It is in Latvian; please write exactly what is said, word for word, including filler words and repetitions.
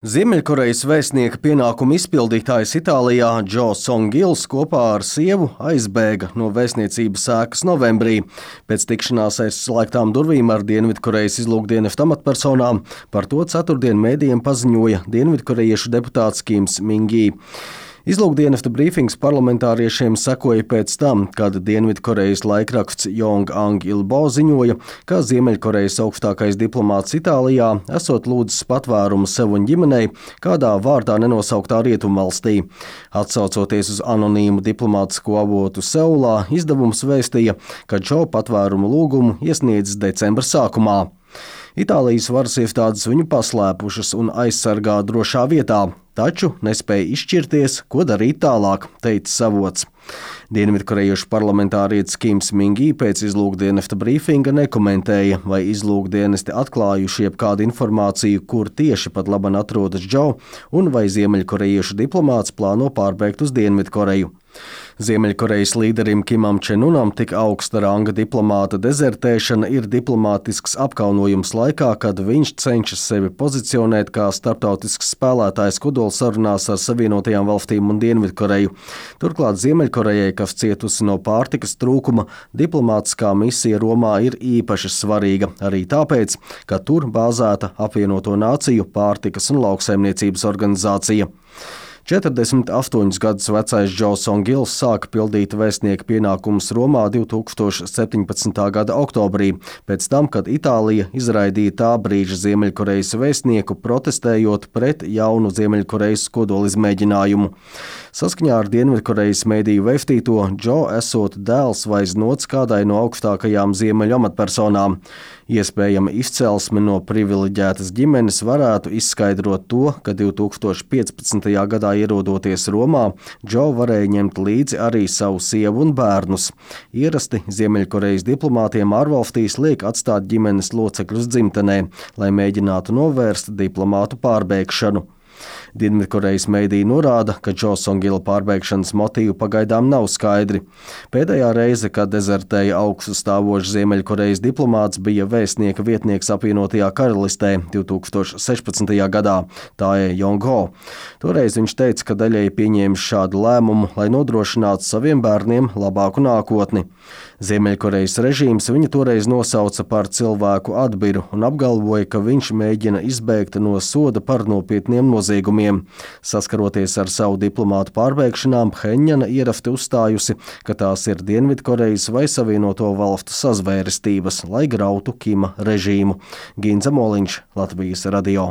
Ziemeļkorejas vēstnieka pienākumu izpildītājs Itālijā Džo Songils kopā ar sievu aizbēga no vēstniecības ēkas novembrī. Pēc tikšanās aiz slēgtām durvīm ar Dienvidkorejas izlūkdienesta amatpersonām par to ceturtdien mēdījiem paziņoja dienvidkorejiešu deputāts Kims Ming-gi. Izlūkdienesta brīfings parlamentāriešiem sekoja pēc tam, kad Dienvidkorejas laikraksts Yonhap Ilbo ziņoja, ka Ziemeļkorejas augstākais diplomāts Itālijā esot lūdzis patvērumu sev un ģimenei kādā vārdā nenosauktā rietumvalstī. Atsaucoties uz anonīmu diplomātisko avotu Seulā, izdevums vēstīja, ka Džo patvērumu lūgumu iesniedzis decembra sākumā. Itālijas varas iestādes viņu paslēpušas un aizsargā drošā vietā, taču nespēja izšķirties, ko darīt tālāk, teica avots. Dienvidkorejiešu parlamentārietis Kims Ming-gi pēc izlūkdienesta brīfinga nekomentēja, vai izlūkdienesti atklājuši jebkādu informāciju, kur tieši pat laban atrodas Džo, un vai ziemeļkorejiešu diplomāts plāno pārbēgt uz Dienvidkoreju. Ziemeļkorejas līderim Kimam Čenunam tik augsta ranga diplomāta dezertēšana ir diplomātisks apkaunojums laikā, kad viņš cenšas sevi pozicionēt kā starptautisks spēlētājs kodolsarunās ar Savienotajām valstīm un Dienvidkoreju. Turklāt Ziemeļkorejai, kas cietusi no pārtikas trūkuma, diplomātiskā misija Romā ir īpaši svarīga, arī tāpēc, ka tur bāzēta Apvienoto Nāciju pārtikas un lauksaimniecības organizācija. četrdesmit astoņus gadus vecais Džo Songils sāka pildīt vēstnieka pienākumus Romā divi tūkstoši septiņpadsmitā gada oktobrī, pēc tam, kad Itālija izraidīja tā brīža Ziemeļkorejas vēstnieku, protestējot pret jaunu Ziemeļkorejas kodolizmēģinājumu. Saskaņā ar Dienvidkorejas mēdīju vēstīto, Džo esot dēls vai znots kādai no augstākajām ziemeļu amatpersonām. Iespējama izcelsme no privileģētas ģimenes varētu izskaidrot to, ka divi tūkstoši piecpadsmitajā gadā ierodoties Romā, Džo varēja ņemt līdzi arī savu sievu un bērnus. Ierasti Ziemeļkorejas diplomātiem ārvalstīs liek atstāt ģimenes locekļus dzimtenē, lai mēģinātu novērst diplomātu pārbēgšanu. Dienvidkorejas mēdī norāda, ka Džo Songila pārbēgšanas motīvi pagaidām nav skaidri. Pēdējā reize, kad dezertēja augstu stāvošs Ziemeļkorejas diplomāts, bija vēstnieka vietnieks Apvienotajā Karalistē divi tūkstoši sešpadsmitajā gadā, Tae Yong-ho. Toreiz viņš teica, ka daļēji pieņēmis šādu lēmumu, lai nodrošinātu saviem bērniem labāku nākotni. Ziemeļkorejas režīms viņu toreiz nosauca par cilvēku atbiru un apgalvoja, ka viņš mēģina izbēgt no soda par nopietniem noziegumiem. Saskaroties ar savu diplomātu pārbēgšanām, Phenjana ierasti uzstājusi, ka tās ir Dienvidkorejas vai Savienoto valstu sazvērestības, lai grautu Kima režīmu. Ginza Moliņš, Latvijas radio.